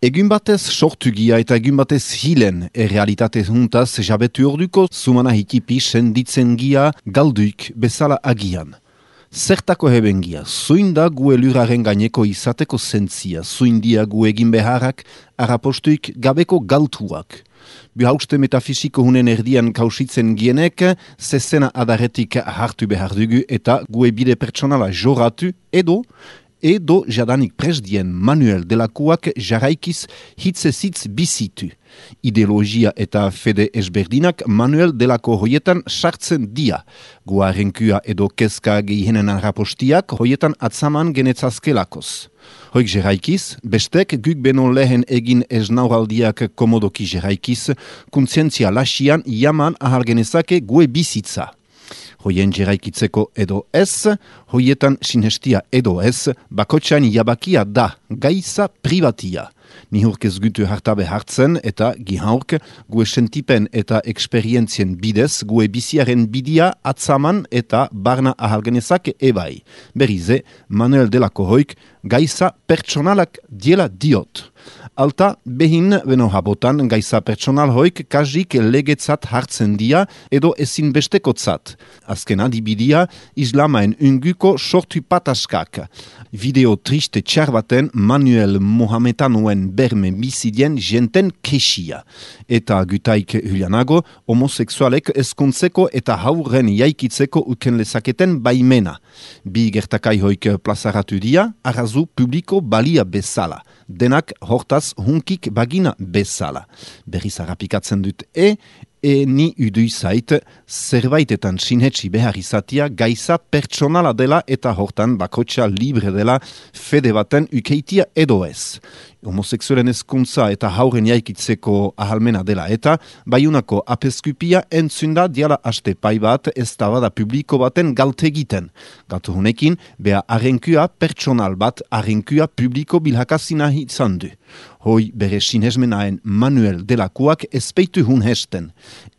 Egun batez sortugia eta egun batez hilen errealitate juntaz jabetu orduko zumana hikipi senditzen gia galduik bezala agian. Zertako hebengia, zuinda gu elurraren gaineko izateko zentzia, zuindia gu egin beharrak, arapostuik gabeko galtuak. Bihauste metafisiko hunen erdian kausitzen gienek, zezena adarretik hartu behar dugu eta gu ebide pertsonala joratu edo jadanik presdien Manuel Delakuak jarraikiz hitzezitz bizitu. Ideologia eta fede ezberdinak Manuel Delako hoietan sartzen dia. Guarenkua edo kezka gehienen arrapostiak hoietan atzaman genetzazkelakoz. Hoik jarraikiz, bestek guk beno lehen egin esnauraldiak komodoki jarraikiz, kontzientzia lasian jaman ahal genezake gue bizitza. Hoien jeraikitzeko edo ez, hoietan sinestia edo ez, bakotxain jabakia da, gaiza privatia. Nihurk ez gutu hartabe hartzen eta gihaurk gue sentipen eta eksperientzien bidez gue biziaren bidia atzaman eta barna ahalgenezake ebai. Berize, Manuel Delako hoik gaiza pertsonalak diela diot. Alta, behin beno habotan gaiza pertsonal hoik kajik legetzat hartzen dia edo ezin bestekotzat. Azken adibidia, islamaen unguko sortu pataskak. Video triste txar baten Manuel Mohametanoen berme bizidien jenten kesia. Eta gutaik hulianago, homoseksualek ezkontzeko eta haurren jaikitzeko uken lezaketen baimena. Bi gertakai hoik plazaratu dia, arrazu publiko balia bezala. Denak hortaz hunkik bagina bezala. Berriz harrapikatzen dut ni udui zait, zerbaitetan sinhetsi behar izatia gaiza pertsonala dela eta hortan bakotxa libre dela fede baten ukeitia edo ez. Homoseksualen ezkuntza eta hauren jaikitzeko ahalmena dela eta baiunako apeskupia entzunda diala haste pai bat ez da publiko baten galtegiten. Galtu honekin, beha arrenkua pertsonal bat arrenkua publiko bilhakazina izan du. Hoi bere sinesmenaen Manuel Delakuak ezpeitu hun hesten.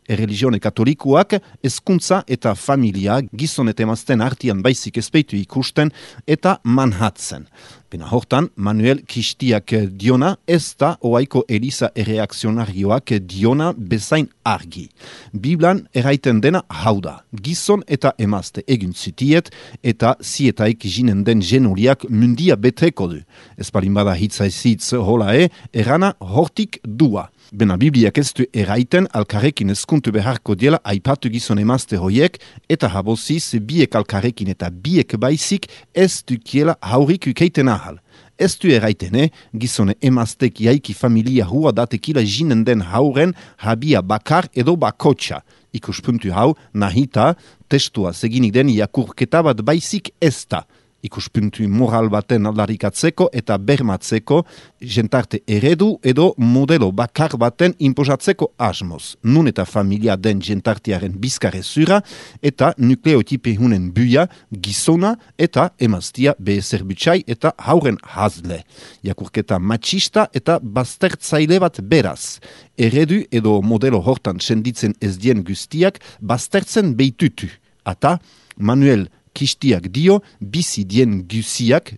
Erreligione katolikuak ezkuntza eta familia gizon eta emazten artian baizik ezpeitu ikusten eta manhatzen. Bena hortan, Manuel Kistiak diona ez da oaiko Eliza erreakzionarioak diona bezain argi. Biblan eraiten dena hau da, gizon eta emazte egin zitiet eta zietaik jinen den genuliak mundia beteko du. Ez palin bada hitzaizitz hola erana hortik dua. Bena Bibliak ez du eraiten alkarrekin ezkuntu beharko diela aipatu gizon emazte hoiek eta haboziz biek alkarrekin eta biek baizik ez dukiela haurik ukeiten ahal. Ez du eraitene, gizone emaztek jaiki familia hua datekila jinen den hauren habia bakar edo bakotxa. Ikuspuntu hau, nahita, testua seginik den jakurketa bat baizik ez da. Ikuspuntu moral baten aldarikatzeko eta bermatzeko, jentarte eredu edo modelo bakar baten imposatzeko asmoz. Nun eta familia den jentartearen bizkarrezura eta nukleotipe hunen buia, gizona eta emaztia bezerbutxai eta hauren hazle. Jakurketa machista eta baztertzaile bat beraz. Eredu edo modelo hortan senditzen ez dien guztiak baztertzen beitutu. Ata, Manuel Kistiak dio, bizi dien guziak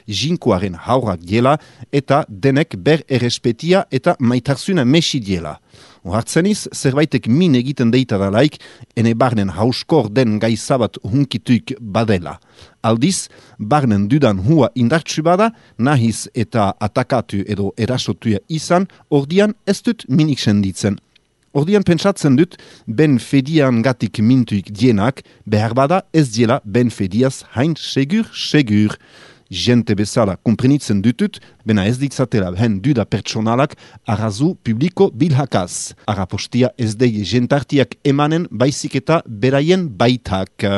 jinkoaren haurak diela eta denek ber errespetia eta maitarzuna mesi diela. Ohartzeniz, zerbaitek min egiten deita dalaik, ene barnen hauskor den gaizabat hunkituik badela. Aldiz, barnen dudan hua indartsu bada, nahiz eta atakatu edo erasotuia izan, ordian ez dut minik senditzen. Ordian pentsatzen dut, ben fedian gatik mintuik dienak, behar bada ez diela ben fediaz hain segur. Jente bezala komprenitzen dutut, bena ez ditzatela hen duda pertsonalak arrazu publiko bilhakaz. Arapostia ez deie jentartiak emanen baizik eta beraien baitak.